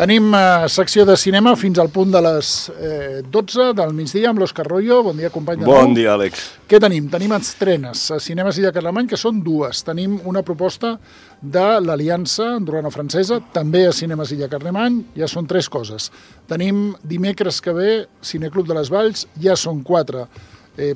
Tenim secció de cinema fins al punt de les 12 del migdia amb l'Òscar Royo. Bon dia, company de nou. Bon dia, Àlex. Què tenim? Tenim estrenes a Cinemes Illa Carlemany, que són dues. Tenim una proposta de l'Aliança Andorrano-Francesa, també a Cinemes Illa Carlemany, ja són 3 coses. Tenim dimecres que ve Cineclub de les Valls, ja són 4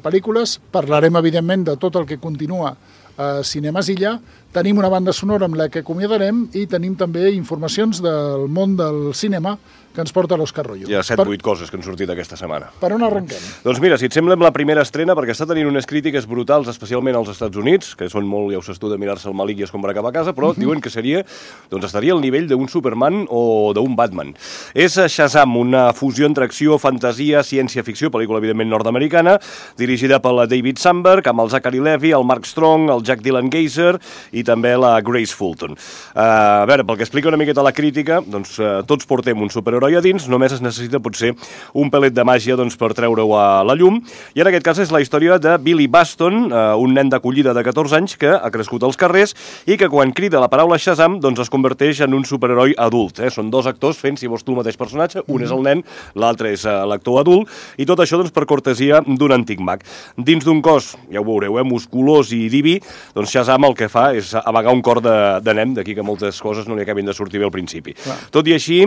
pel·lícules. Parlarem, evidentment, de tot el que continua a Cinemes Illa. Tenim una banda sonora amb la que acomiadarem i tenim també informacions del món del cinema que ens porta l'Òscar Royo. Hi ha 7-8 coses que han sortit aquesta setmana. Per on arrenquem? Doncs mira, si et sembla, amb la primera estrena, perquè està tenint unes crítiques brutals, especialment als Estats Units, que són molt, ja ho saps tu, de mirar-se el malic i escombrar cap a casa, però diuen que seria, doncs estaria al nivell d'un Superman o d'un Batman. És Shazam, una fusió entre acció, fantasia, ciència-ficció, pel·lícula evidentment nord-americana, dirigida per la David Sandberg, amb el Zachary Levi, el Mark Strong, el Jack Dylan Grazer i també la Grace Fulton. A veure, pel que explica una miqueta la crítica, doncs tots portem un superheroi a dins, només es necessita potser un pelet de màgia doncs, per treure-ho a la llum, i en aquest cas és la història de Billy Baston, un nen d'acollida de 14 anys que ha crescut als carrers i que quan crida la paraula Shazam doncs es converteix en un superheroi adult. Són 2 actors fent, si vols tu, el mateix personatge, un és el nen, l'altre és l'actor adult, i tot això doncs, per cortesia d'un antic mag. Dins d'un cos, ja ho veureu, musculós i diví, doncs Shazam el que fa és amagar un cor de nen, d'aquí que moltes coses no li acabin de sortir bé al principi. Tot i així,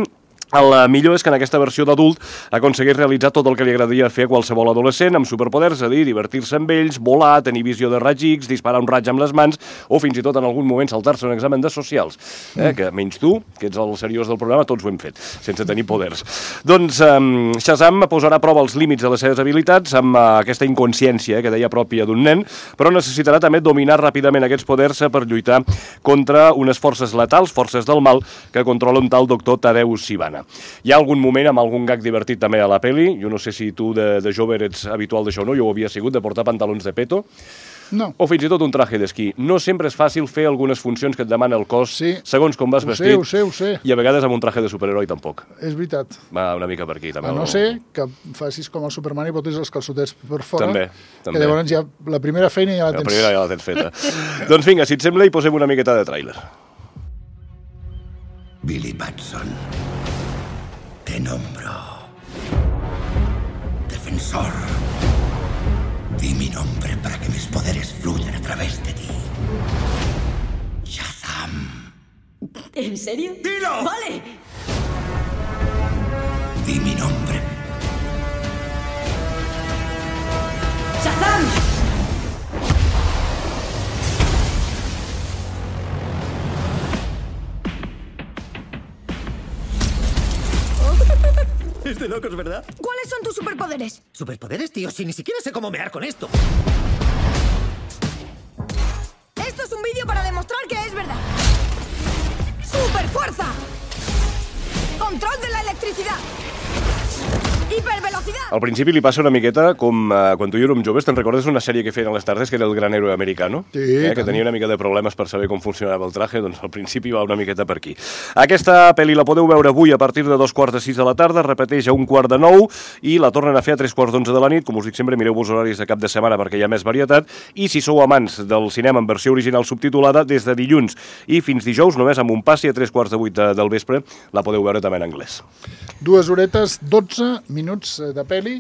el millor és que en aquesta versió d'adult aconsegueix realitzar tot el que li agradaria fer a qualsevol adolescent amb superpoders, és a dir, divertir-se amb ells, volar, tenir visió de raig X, disparar un raig amb les mans o fins i tot en algun moment saltar-se un examen de socials. Que menys tu, que ets el seriós del programa, tots ho hem fet, sense tenir poders. Doncs Shazam posarà a prova els límits de les seves habilitats amb aquesta inconsciència que deia pròpia d'un nen, però necessitarà també dominar ràpidament aquests poders per lluitar contra unes forces letals, forces del mal, que controla un tal doctor Tadeusz Sivana. Hi ha algun moment amb algun gag divertit també a la peli. Jo no sé si tu de jove ets habitual d'això o no, jo ho havia sigut, de portar pantalons de peto. No. O fins i tot un traje d'esquí. No sempre és fàcil fer algunes funcions que et demana el cos, segons com vas vestit. Ho sé. I a vegades amb un traje de superheroi tampoc. És veritat. Va una mica per aquí, també. A no ser que facis com el Superman i botis els calçotets per fora. També. Que llavors ja la primera feina ja la tens. La primera ja la tens feta. Doncs vinga, si et sembla, hi posem una miqueta de tràiler. Billy Batson. Te nombro defensor. Di mi nombre para que mis poderes fluyan a través de ti. Shazam. ¿En serio? ¡Dilo! ¡Vale! Di mi nombre. ¡Shazam! Es de locos, ¿verdad? ¿Cuáles son tus superpoderes? ¿Superpoderes, tío? Si ni siquiera sé cómo mear con esto. Esto es un vídeo para demostrar que es verdad. ¡Superfuerza! Control de la electricidad. Hipervelocidad. Al principi li passa una miqueta com quan tu i jo érem joves, te'n recordes una sèrie que feien a les tardes que era El gran héroe americano? Sí. Que tenia una mica de problemes per saber com funcionava el traje, doncs al principi va una miqueta per aquí. Aquesta pel·li la podeu veure avui a partir de 2:45 de la tarda, repeteix a 8:45 i la tornen a fer a 3:45 de la nit. Com us dic sempre, mireu-vos horaris de cap de setmana perquè hi ha més varietat, i si sou amants del cinema en versió original subtitulada, des de dilluns i fins dijous, només amb un passi a 7:45 del vespre, la podeu veure també en anglès. 2 horetes, 12 minuts de pel·li,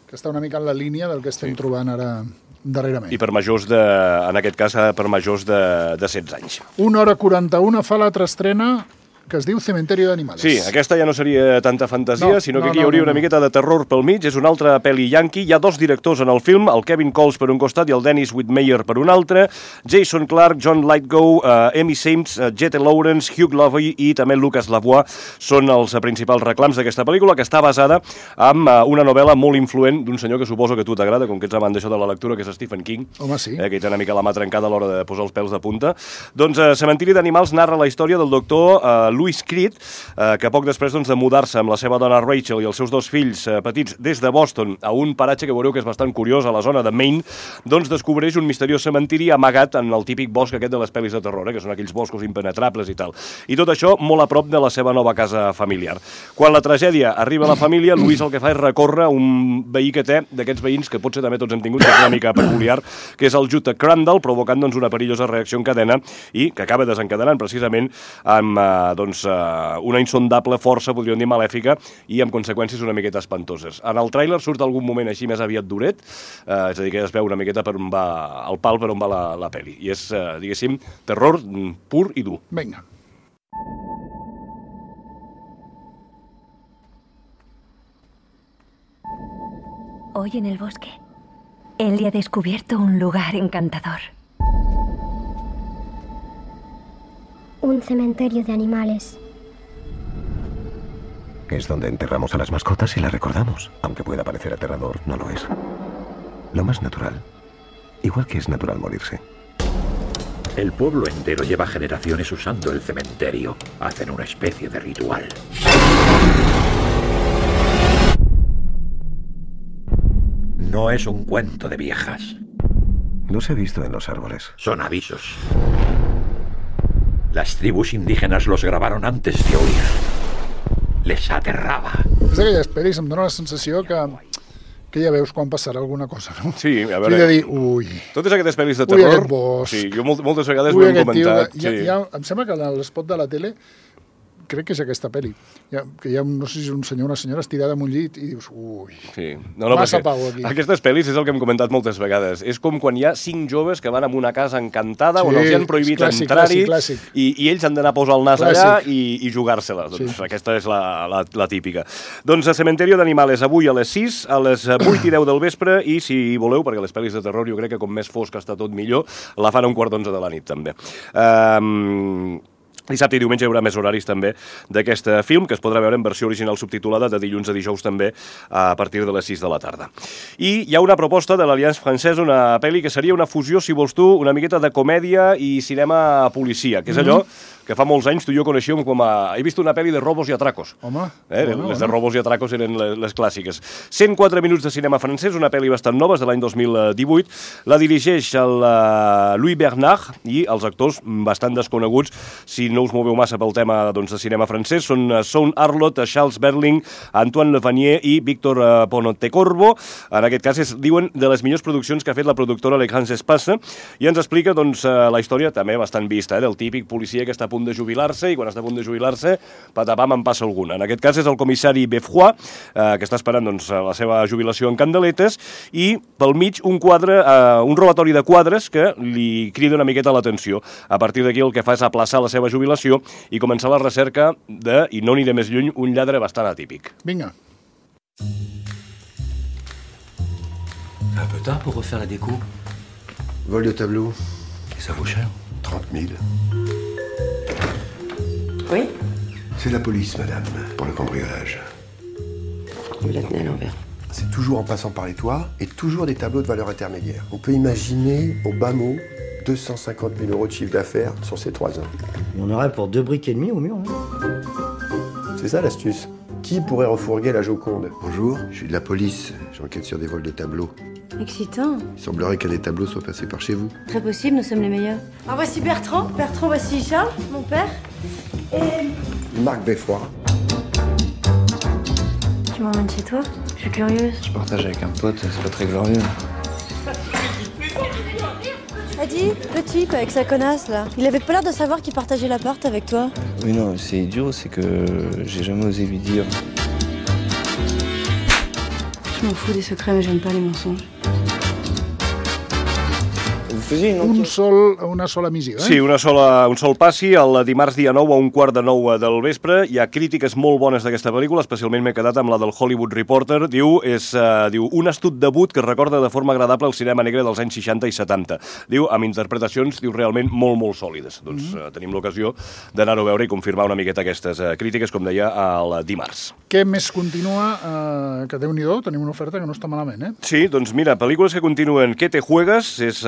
que està una mica en la línia del que estem trobant ara darrerament. I per majors en aquest cas, per majors de 16 anys. 1:41 fa l'altra estrena, que es diu Cementerio de Animales. Sí, aquesta ja no seria tanta fantasia, sinó que aquí hi hauria una miqueta de terror pel mig. És una altra pel·li yankee. Hi ha 2 directors en el film, el Kevin Coles per un costat i el Dennis Whitmire per un altre. Jason Clarke, John Lithgow, Amy Sims, Jette Lawrence, Hugh Laurie i també Lucas Lavoie són els principals reclams d'aquesta pel·lícula, que està basada en una novel·la molt influent d'un senyor que suposo que a tu t'agrada, com que ets amant d'això de la lectura, que és Stephen King. Home, sí. Que té una mica la mà trencada a l'hora de posar els pèls de punta. Doncs Cementiri d'Animals narra la història del doctor Louis Creed, que poc després de mudar-se amb la seva dona Rachel i els seus 2 fills petits des de Boston a un paratge que veureu que és bastant curiós a la zona de Maine, doncs descobreix un misteriós cementiri amagat en el típic bosc aquest de les pel·lis de terror, que són aquells boscos impenetrables i tal. I tot això molt a prop de la seva nova casa familiar. Quan la tragèdia arriba a la família, Louis el que fa és recórrer un veí que té, d'aquests veïns que potser també tots hem tingut, que és una mica peculiar, que és el Jutta Crandall, provocant una perillosa reacció en cadena i que acaba desencadenant precisament amb doncs, una insondable força, podríem dir malèfica, i amb conseqüències una miqueta espantoses. En el tràiler surt algun moment així més aviat duret, és a dir, que es veu una miqueta per on va el pal, per on va la pel·li. I és, diguéssim, terror pur i dur. Vinga. Hoy en el bosque, Ellie ha descubierto un lugar encantador. Un cementerio de animales. Es donde enterramos a las mascotas y las recordamos. Aunque pueda parecer aterrador, no lo es. Lo más natural. Igual que es natural morirse. El pueblo entero lleva generaciones usando el cementerio. Hacen una especie de ritual. No es un cuento de viejas. Los he visto en los árboles. Son avisos. Las tribus indígenas los grabaron antes de oír. Les aterrava. És d'aquelles pel·lis, em dóna la sensació que ja veus quan passarà alguna cosa, no? Sí, a veure... Sí, de dir, ui... Totes aquestes pel·lis de terror... Ui, aquest bosc... Sí, jo moltes vegades ho hem comentat. Em sembla que en l'espot de la tele, crec que és aquesta pel·li, que hi ha, no sé si és un senyor o una senyora estirada en un llit i dius, ui, sí. massa pau aquí. Aquestes pel·lis és el que hem comentat moltes vegades. És com quan hi ha 5 joves que van a una casa encantada on els han prohibit entrar-hi i ells han d'anar a posar el nas allà i jugar-se-la. Doncs aquesta és la típica. Doncs a Cementerio d'Animales avui a les 6, a les 8 i 10 del vespre i si voleu, perquè les pel·lis de terror jo crec que com més fosc està tot millor, la fan a 11:15 de la nit també. Dissabte i diumenge hi haurà més horaris també d'aquest film, que es podrà veure en versió original subtitulada de dilluns a dijous també a partir de les 6 de la tarda. I hi ha una proposta de l'Alliance Française, una pel·li que seria una fusió, si vols tu, una miqueta de comèdia i cinema policia, que és allò que fa molts anys tu i jo coneixíem com a... He vist una pel·li de robos i atracos. Home, les de robos i atracos eren les clàssiques. 104 minuts de cinema francès, una pel·li bastant nova, és de l'any 2018. La dirigeix el Louis Bernard i els actors bastant desconeguts, si no us moveu massa pel tema de cinema francès, són Son Arlot, Charles Berling, Antoine Levanier i Víctor Pontecorvo. En aquest cas diuen de les millors produccions que ha fet la productora Les Grands Espaces, i ens explica la història també bastant vista, del típic policia que està a punt de jubilar-se i quan està a punt de jubilar-se, patapam, en passa alguna. En aquest cas és el comissari Beffroy, que està esperant la seva jubilació en candeletes, i pel mig un robatori de quadres que li crida una miqueta l'atenció. A partir d'aquí el que fa és aplaçar la seva jubilació i començar la recerca de, i no aniré més lluny, un lladre bastant atípic. Vinga. Un peu tard pour refaire la déco. Vol de tableau. Et ça vaut cher. 30 000. Oui? C'est la police, madame, pour le cambriolage. Vous la tenez à l'envers. C'est toujours en passant par les toits et toujours des tableaux de valeur intermédiaire. On peut imaginer, au bas mot, 250 000 euros de chiffre d'affaires sur ces 3 ans. On aurait pour 2 briques et demi au mur. C'est ça l'astuce. Qui pourrait refourguer la Joconde? Bonjour, je suis de la police. J'enquête sur des vols de tableaux. Excitant. Il semblerait qu'un des tableaux soit passé par chez vous. Très possible, nous sommes les meilleurs. Alors voici Bertrand. Bertrand, voici Charles, mon père. Et... Marc Beffroy. Tu m'emmènes chez toi? Je suis curieuse. Je partage avec un pote, c'est pas très glorieux. Adi, le type avec sa connasse là, il avait pas l'air de savoir qu'il partageait l'appart avec toi. Oui non, c'est idiot, c'est que j'ai jamais osé lui dire. Je m'en fous des secrets mais j'aime pas les mensonges. Una sola missió, Sí, un sol passi. El dimarts dia 9 a 8:15 del vespre. Hi ha crítiques molt bones d'aquesta pel·lícula, especialment m'he quedat amb la del Hollywood Reporter. Diu un astut debut que recorda de forma agradable el cinema negre dels anys 60 i 70. Diu, amb interpretacions, realment molt, molt sòlides. Doncs tenim l'ocasió d'anar-ho a veure i confirmar una miqueta aquestes crítiques, com deia, el dimarts. Què més continua? Que Déu-n'hi-do, tenim una oferta que no està malament, eh? Sí, doncs mira, pel·lícules que continuen. ¿Qué te juegas? És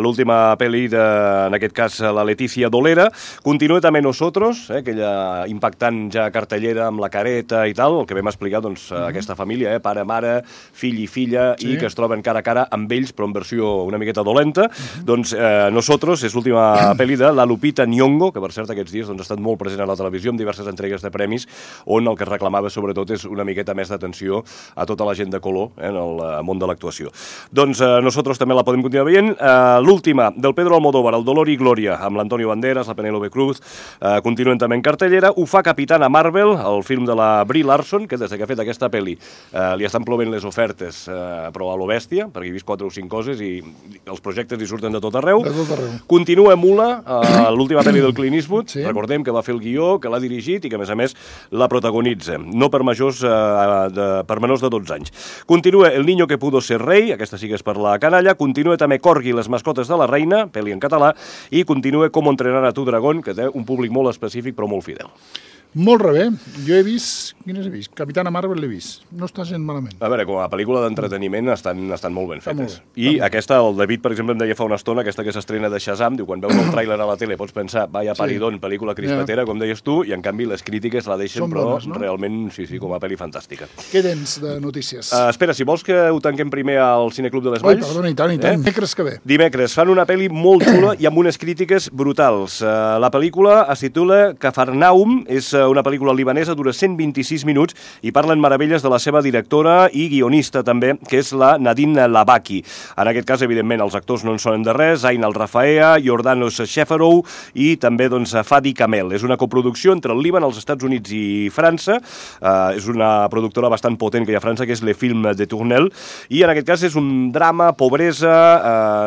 l'última pel·li en aquest cas, la Leticia Dolera. Continua també Nosotros, aquella impactant ja cartellera amb la careta i tal, el que vam explicar, doncs, aquesta família, pare, mare, fill i filla, i que es troben cara a cara amb ells, però en versió una miqueta dolenta. Doncs Nosotros és l'última pel·li de la Lupita Nyong'o, que per cert aquests dies ha estat molt present a la televisió amb diverses entregues de premis, on el que reclamava sobretot és una miqueta més d'atenció a tota la gent de color en el món de l'actuació. Doncs Nosotros també la podem continuar veient. L'última, del Pedro Almodóvar, El dolor i glòria, amb l'Antonio Banderas, la Penélope Cruz, continuen també en cartellera. Ho fa Capitana Marvel, el film de la Brie Larson, que des que ha fet aquesta pel·li li estan plovent les ofertes, però a lo bèstia, perquè he vist 4 o 5 coses i els projectes li surten de tot arreu. Continua Mula, l'última pel·li del Clint Eastwood, recordem que va fer el guió, que l'ha dirigit i que, a més, la protagonitza, no per menors de 12 anys. Continua El niño que pudo ser rei, aquesta sí que és per la canalla, continua també Corgi i les mascotes de la reina, pel·li en català, i continua Com entrenar a tu dragón, que té un públic molt específic però molt fidel. Molt bé. Jo he vist... Quines he vist? Capitana Marvel l'he vist. No està gent malament. A veure, com a pel·lícula d'entreteniment estan molt ben fetes. I aquesta, el David, per exemple, em deia fa una estona, aquesta que s'estrena de Shazam, diu, quan veus el tràiler a la tele pots pensar, vaya paridón, pel·lícula crispetera, com deies tu, i en canvi les crítiques la deixen, però realment, sí, com a pel·li fantàstica. Què tens de notícies? Espera, si vols que ho tanquem primer al Cineclub de les Valls... Perdona, i tant. Dimecres que ve. Dimecres. Fan una pel·li molt xula i amb unes crítiques brutals. La pel·lícula es titula Cafarnaum, és una pel·lícula libanesa, dura 126 minuts i parlen meravelles de la seva directora i guionista també, que és la Nadine Labaki. En aquest cas, evidentment, els actors no en sonen de res, Ain Al-Rafaea, Jordanos Shefarou i també Fadi Kamel. És una coproducció entre el Líban, els Estats Units i França. És una productora bastant potent que hi ha a França, que és Le Film de Tournelle, i en aquest cas és un drama, pobresa,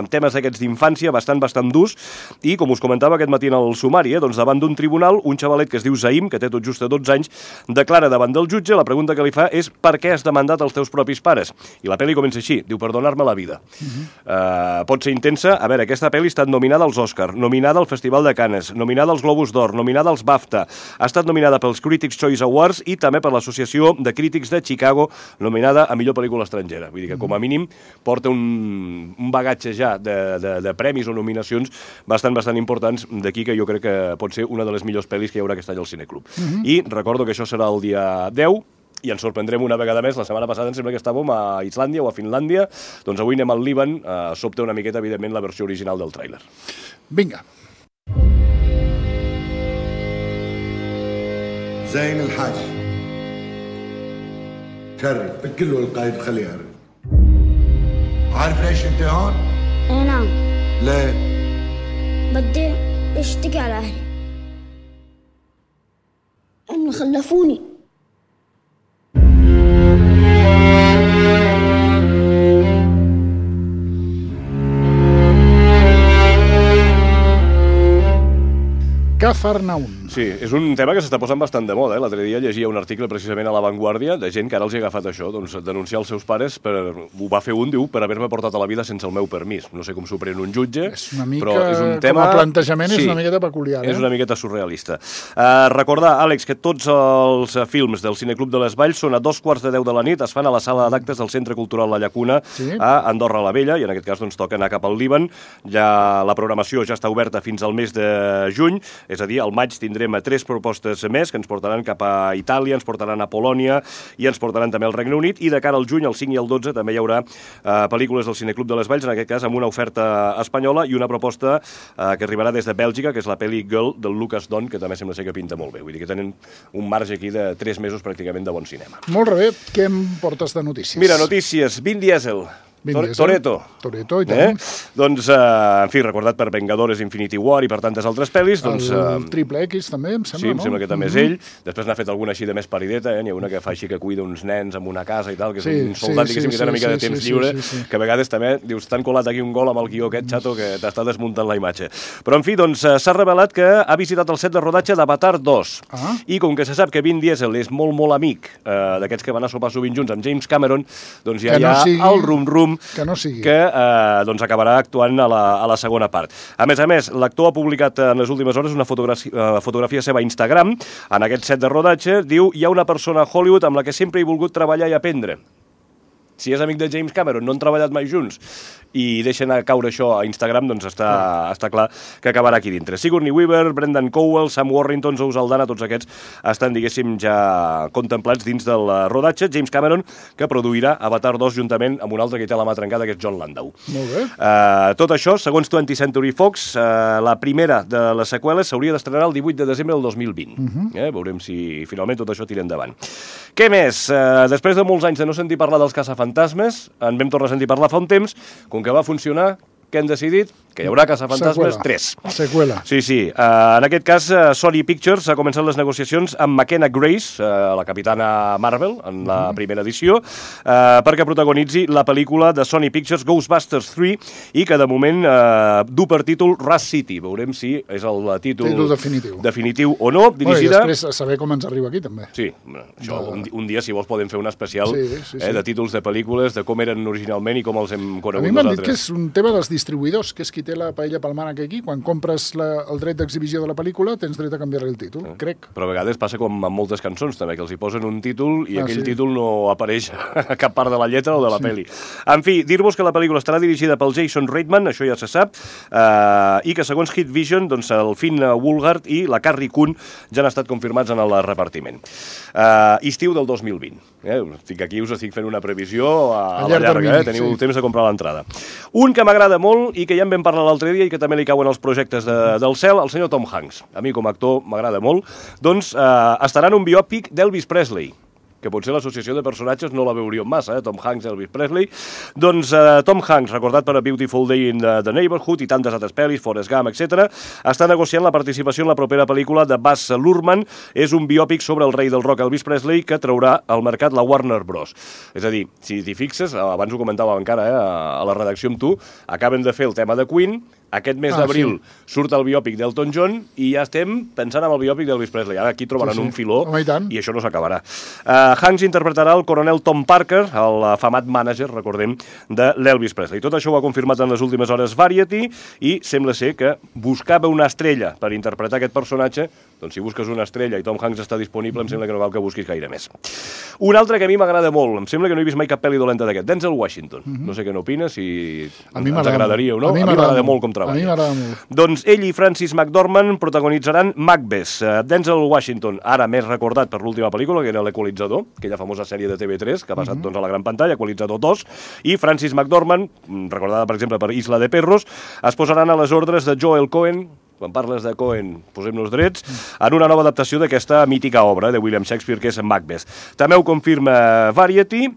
temes d'aquests d'infància bastant durs, i com us comentava aquest matí en el sumari, davant d'un tribunal, un xavalet que es diu Zaim, que té tot just 12 anys, declara davant del jutge, la pregunta que li fa és per què has demandat els teus propis pares? I la pel·li comença així, diu, per donar-me la vida. Pot ser intensa. A veure, aquesta pel·li ha estat nominada als Oscar, nominada al Festival de Cannes, nominada als Globus d'Or, nominada als BAFTA, ha estat nominada pels Critics' Choice Awards i també per l'Associació de Crítics de Chicago, nominada a millor pel·lícula estrangera. Vull dir que, com a mínim, porta un bagatge ja de premis o nominacions bastant importants, d'aquí que jo crec que pot ser una de les millors pel·lis que hi haurà aquest any al Cineclub. I recordo que això serà el dia 10 i ens sorprendrem una vegada més. La setmana passada em sembla que estàvem a Islàndia o a Finlàndia, doncs avui anem al Líban, sobta una miqueta, evidentment, la versió original del tràiler. Vinga. زين الحاج شرف بكل القائد خليه يعرف. عارف ليش انت هون؟ اي نعم. ليه؟ بدي اشتكي على اهلي انه خلفوني. Cafarnaum. Sí, és un tema que s'està posant bastant de moda. L'altre dia llegia un article precisament a La Vanguardia de gent que ara els ha agafat això, denunciar els seus pares, ho va fer un, diu, per haver-me portat a la vida sense el meu permís. No sé com s'ho pren un jutge, però és un tema... Com a plantejament és una miqueta peculiar. És una miqueta surrealista. Recordar, Àlex, que tots els films del Cineclub de les Valls són a 2:15 de la nit, es fan a la sala d'actes del Centre Cultural La Llacuna a Andorra la Vella, i en aquest cas toca anar cap al Líban. La programació ja està oberta fins al mes de juny, és a dir, al maig tindrem 3 propostes més que ens portaran cap a Itàlia, ens portaran a Polònia i ens portaran també al Regne Unit, i de cara al juny, el 5 i el 12, també hi haurà pel·lícules del Cineclub de les Valls, en aquest cas amb una oferta espanyola i una proposta que arribarà des de Bèlgica, que és la pel·li Girl del Lucas Don, que també sembla ser que pinta molt bé. Vull dir que tenen un marge aquí de 3 mesos pràcticament de bon cinema. Molt bé. Què em portes de notícies? Mira, notícies. Vin Diesel. Toretto, i tant. Doncs, en fi, recordat per Vengadores, Infinity War i per tantes altres pel·lis. El Triple X també, em sembla, no? Sí, em sembla que també és ell. Després n'ha fet alguna així de més parideta, n'hi ha una que fa així que cuida uns nens en una casa i tal, que és un soldat, diguéssim, que té una mica de temps lliure, que a vegades també, dius, t'han colat aquí un gol amb el guió aquest xato que t'està desmuntant la imatge. Però, en fi, doncs, s'ha revelat que ha visitat el set de rodatge d'Avatar 2. I com que se sap que Vin Diesel és molt amic d'aquests que van a sopar sovint junts amb James Cameron, doncs ja hi ha el rum-rum que acabarà actuant a la segona part. A més, l'actor ha publicat en les últimes hores una fotografia seva a Instagram. En aquest set de rodatge diu: hi ha una persona a Hollywood amb la que sempre he volgut treballar i aprendre. Si és amic de James Cameron, no han treballat mai junts, i deixen caure això a Instagram, doncs està clar que acabarà aquí dintre. Sigourney Weaver, Brendan Cowell, Sam Worthington, Zoe Saldana, tots aquests estan, diguéssim, ja contemplats dins del rodatge. James Cameron, que produirà Avatar 2 juntament amb un altre que té la mà trencada, que és John Landau. Molt bé. Tot això, segons 20th Century Fox, la primera de les seqüeles s'hauria d'estrenar el 18 de desembre del 2020. Veurem si finalment tot això tira endavant. Què més? Després de molts anys de no sentir parlar dels caçafantasmes, en vam tornar a sentir parlar fa un temps. Com que va funcionar, què han decidit? que hi haurà Caçafantasmes 3. Seqüela. Sí. En aquest cas, Sony Pictures ha començat les negociacions amb McKenna Grace, la capitana Marvel, en la primera edició, perquè protagonitzi la pel·lícula de Sony Pictures Ghostbusters 3 i que de moment du per títol Rust City. Veurem si és el títol definitiu o no. Dirigida... I després saber com ens arriba aquí, també. Sí, això, un dia, si vols, podem fer un especial de títols de pel·lícules, de com eren originalment i com els hem conegut nosaltres. A mi m'han dit que és un tema dels distribuïdors, que és qui té la paella pel mànec aquí. Quan compres el dret d'exhibició de la pel·lícula, tens dret a canviar-li el títol, crec. Però a vegades passa com amb moltes cançons, també, que els hi posen un títol i aquell títol no apareix a cap part de la lletra o de la pel·li. En fi, dir-vos que la pel·lícula estarà dirigida pel Jason Reitman, això ja se sap, i que segons Hit Vision, doncs, el Finn Wolfhard i la Carrie Coon ja han estat confirmats en el repartiment. Estiu del 2020. Aquí us estic fent una previsió a la llarga, teniu temps de comprar l'entrada. Un que m'agrada molt i que ja en vam parlar l'altre dia i que també li cauen els projectes del cel, el senyor Tom Hanks. A mi com a actor m'agrada molt. Doncs estarà en un biòpic d'Elvis Presley, que potser l'associació de personatges no la veuríem massa, Tom Hanks, Elvis Presley. Doncs Tom Hanks, recordat per A Beautiful Day in the Neighborhood i tantes altres pel·lis, Forrest Gump, etc., està negociant la participació en la propera pel·lícula de Baz Luhrmann. És un biòpic sobre el rei del rock Elvis Presley que traurà al mercat la Warner Bros. És a dir, si t'hi fixes, abans ho comentàvem encara a la redacció amb tu, acaben de fer el tema de Queen, aquest mes d'abril surt el biòpic d'Elton John i ja estem pensant en el biòpic d'Elvis Presley. Ara aquí trobaran un filó i això no s'acabarà. Hanks interpretarà el coronel Tom Parker, el afamat mànager, recordem, de l'Elvis Presley. Tot això ho ha confirmat en les últimes hores Variety i sembla ser que buscava una estrella per interpretar aquest personatge. Doncs si busques una estrella i Tom Hanks està disponible, em sembla que no cal que busquis gaire més. Un altre que a mi m'agrada molt, em sembla que no he vist mai cap pel·li dolenta d'aquest, Denzel Washington. No sé què n'opines, si ens agradaria o no. A mi m'agrada molt com treballa. A mi m'agrada molt. Doncs ell i Francis McDormand protagonitzaran Macbeth. Denzel Washington, ara més recordat per l'última pel·lícula, que era l'Equalitzador, aquella famosa sèrie de TV3 que ha passat a la gran pantalla, Equalitzador 2, i Francis McDormand, recordada per exemple per Isla de Perros, es posaran a les ordres de Joel Cohen. Quan parles de Cohen, posem-nos drets, en una nova adaptació d'aquesta mítica obra de William Shakespeare, que és Macbeth. També ho confirma Variety,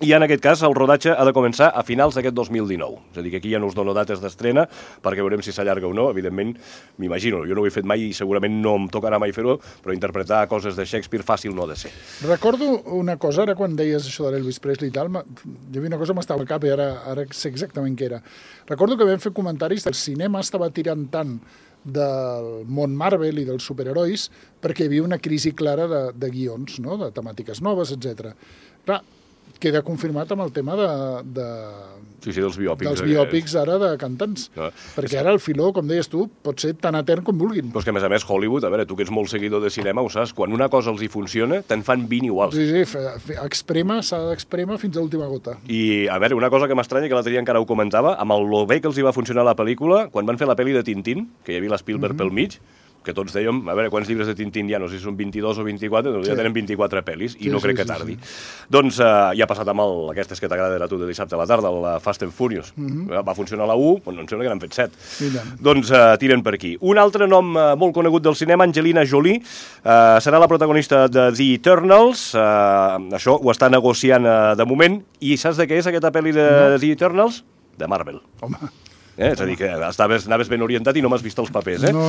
i en aquest cas el rodatge ha de començar a finals d'aquest 2019. És a dir, que aquí ja no us dono dates d'estrena, perquè veurem si s'allarga o no. Evidentment, m'imagino, jo no ho he fet mai i segurament no em tocarà mai fer-ho, però interpretar coses de Shakespeare fàcil no ha de ser. Recordo una cosa, ara quan deies això de l'Elvis Presley i tal, hi havia una cosa que m'estava al cap i ara sé exactament què era. Recordo que vam fer comentaris del cinema estava tirant tant del món Marvel i dels superherois perquè hi havia una crisi clara de guions, no? De temàtiques noves, etc. Clar, queda confirmat amb el tema dels biòpics ara de cantants. Perquè ara el filó, com deies tu, pot ser tan etern com vulguin. Però és que, a més, Hollywood, a veure, tu que ets molt seguidor de cinema, ho saps, quan una cosa els hi funciona, te'n fan 20 iguals. Sí, s'ha d'exprema fins a l'última gota. I, a veure, una cosa que m'estranya, que l'altre dia encara ho comentava, amb el bé que els hi va funcionar la pel·lícula, quan van fer la pel·li de Tintín, que hi havia l'Spielberg pel mig, que tots dèiem, a veure, quants llibres de Tintín hi ha, no sé si són 22 o 24, doncs ja tenen 24 pel·lis, i no crec que tardi. Doncs ja ha passat amb aquestes que t'agrada a tu de dissabte a la tarda, el Fast and Furious. Va funcionar la 1, doncs em sembla que n'han fet 7. Doncs tiren per aquí. Un altre nom molt conegut del cinema, Angelina Jolie, serà la protagonista de The Eternals, això ho està negociant de moment, i saps de què és aquesta pel·li de The Eternals? De Marvel. Home... És a dir, que anaves ben orientat i no m'has vist els papers, No.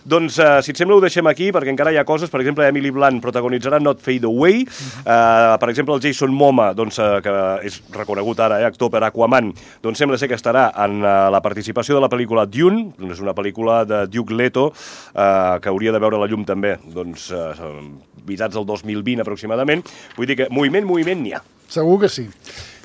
Doncs, si et sembla, ho deixem aquí, perquè encara hi ha coses. Per exemple, Emily Blunt protagonitzarà Not Fade Away. Per exemple, el Jason Momoa, que és reconegut ara, actor per Aquaman, doncs sembla ser que estarà en la participació de la pel·lícula Dune, és una pel·lícula de Duke Leto, que hauria de veure la llum també, doncs, visats del 2020 aproximadament. Vull dir que moviment n'hi ha. Segur que sí.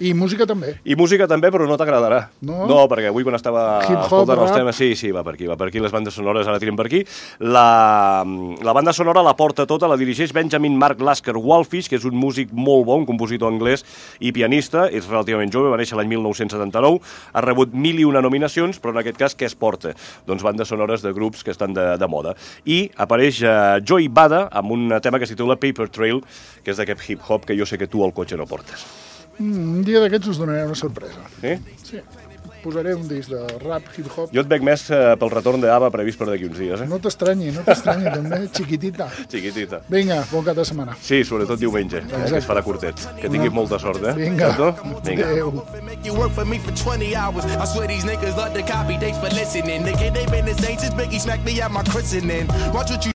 I música també. I música també, però no t'agradarà. No, perquè avui quan estava escoltant els temes... Sí, va per aquí, les bandes sonores ara tiren per aquí. La banda sonora la porta tota, la dirigeix Benjamin Mark Lasker Wallfish, que és un músic molt bon, un compositor anglès i pianista, és relativament jove, va néixer l'any 1979, ha rebut 1001 nominacions, però en aquest cas què es porta? Doncs bandes sonores de grups que estan de moda. I apareix Joey Bada amb un tema que es titula Paper Trail, que és d'aquest hip-hop que jo sé que tu al cotxe no portes. Un dia d'aquests us donaré una sorpresa. Sí? Sí. posaré un disc de rap, hip-hop. Jo et veig més pel retorn d'Ava previst per d'aquí uns dies, No t'estranyi, també, chiquitita. Chiquitita. Vinga, bon cap de setmana. Sí, sobretot diumenge, que es farà curtet. Que tinguis molta sort, Vinga, adéu. You work for me for 20 hours. I swear these niggas love to copy. Thanks for listening. Nigga, they been the same since Biggie smacked me at my christening. Watch what you